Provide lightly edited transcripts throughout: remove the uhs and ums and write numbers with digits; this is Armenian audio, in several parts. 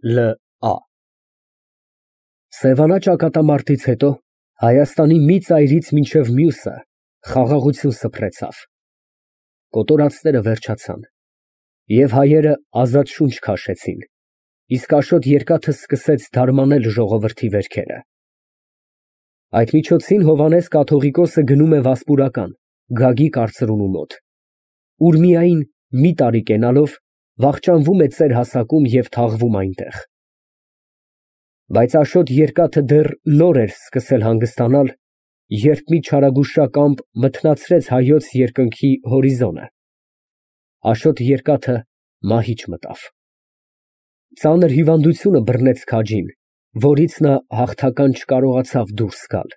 Լ.Ա. Սևանա ճակատամարտից հետո Հայաստանի մի ծայրից մինչև մյուսը խաղաղություն սփռեցավ, կոտորածները վերջացան, և հայերը ազատ շունչ քաշեցին, իսկ Աշոտ Երկաթը սկսեց դարմանել ժողովրդի վերքերը։ Այդ միջոցին Հովհաննես կաթողիկոսը գնում է Վասպուրական, Գագիկ արծրունու մոտ, ուր միայն մի տարի կենալով վախճանվում է ծեր հասակում և թաղվում այնտեղ։ Բայց Աշոտ Երկաթը դեռ նոր էր սկսել հանգստանալ, երբ մի չարագուշակամբ մթնացրեց հայոց երկնքի հորիզոնը։ Աշոտ Երկաթը մահիճ մտավ։ Ծանր հիվանդությունը բռնեց քաջին, որից նա հաղթական չկարողացավ դուրս գալ։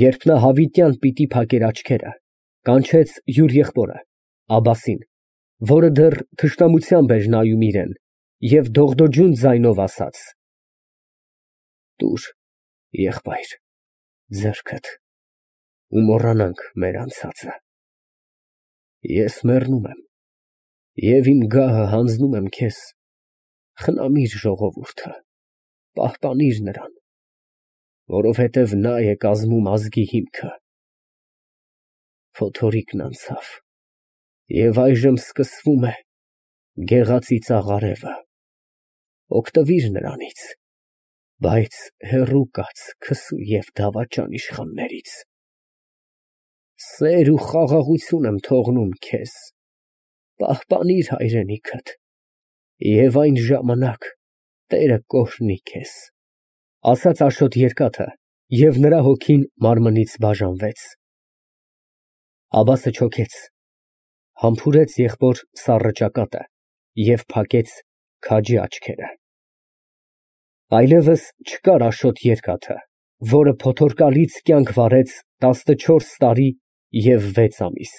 Երբ նա հավիտյան պիտի փակեր աչքերը, կանչեց յուր եղբորը Աբբասին, որը դեռ թշնամությամբ էր նայում իրան, և դողդոջուն ձայնով ասաց. «Տուր, եղբայր, ձեռքդ ու մոռանանք մեր անցածը։ Ես մեռնում եմ և իմ գահը հանձնում եմ քեզ, խնամիր ժողովուրդը, պահպանիր նրան, որովհետև նա է կազմում ազգի հիմքը։ Փոթորիկն անցավ, և այժմ սկսվում է գեղածի ծաղարևը, օգտվիր նրանից, բայց հեռու կաց քսու և դավաճան իշխաններից։ Սեր ու խաղաղություն եմ թողնում քեզ, պահպանիր հայրենիքդ, և այն ժամանակ Տերը կօրհնի քեզ», ֊ ասաց Աշոտ Երկաթը, և նրա հոգին մարմնից բաժանվեց։ Աբբասը չոքեց, համբուրեց եղբոր սառը ճակատը և փակեց քաջի աչքերը։ Այլևս չկար Աշոտ Երկաթը, որը փոթորկալից կյանք վարեց 14 տարի և 6 ամիս։